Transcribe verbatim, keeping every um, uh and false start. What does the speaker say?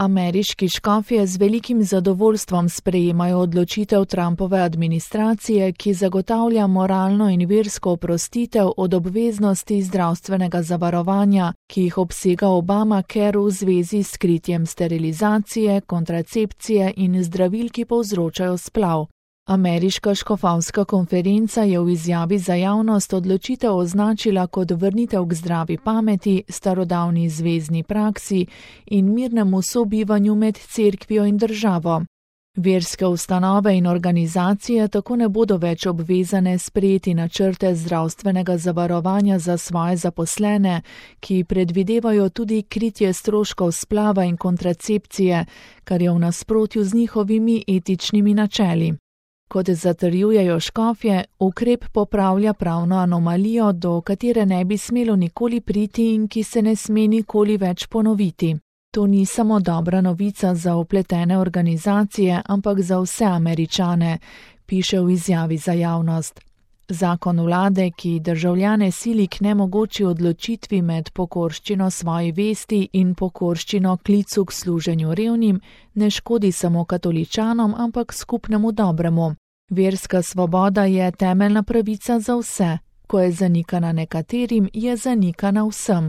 Ameriški škofje z velikim zadovoljstvom sprejemajo odločitev Trumpove administracije, ki zagotavlja moralno in versko oprostitev od obveznosti zdravstvenega zavarovanja, ki jih obsega Obamacare v zvezi s kritjem sterilizacije, kontracepcije in zdravil, ki povzročajo splav. Ameriška škofovska konferenca je v izjavi za javnost odločitev označila kot vrnitev k zdravi pameti, starodavni zvezni praksi in mirnemu sobivanju med cerkvijo in državo. Verske ustanove in organizacije tako ne bodo več obvezane sprejeti načrte zdravstvenega zavarovanja za svoje zaposlene, ki predvidevajo tudi kritje stroškov splava in kontracepcije, kar je v nasprotju z njihovimi etičnimi načeli. Kot zatrjujejo škofje, ukrep popravlja pravno anomalijo, do katere ne bi smelo nikoli priti in ki se ne sme nikoli več ponoviti. To ni samo dobra novica za vpletene organizacije, ampak za vse Američane, piše v izjavi za javnost. Zakon vlade, ki državljane sili k nemogoči odločitvi med pokorščino svoji vesti in pokorščino klicu k služenju revnim, ne škodi samo katoličanom, ampak skupnemu dobremu. Verska svoboda je temeljna pravica za vse. Ko je zanikana nekaterim, je zanikana vsem.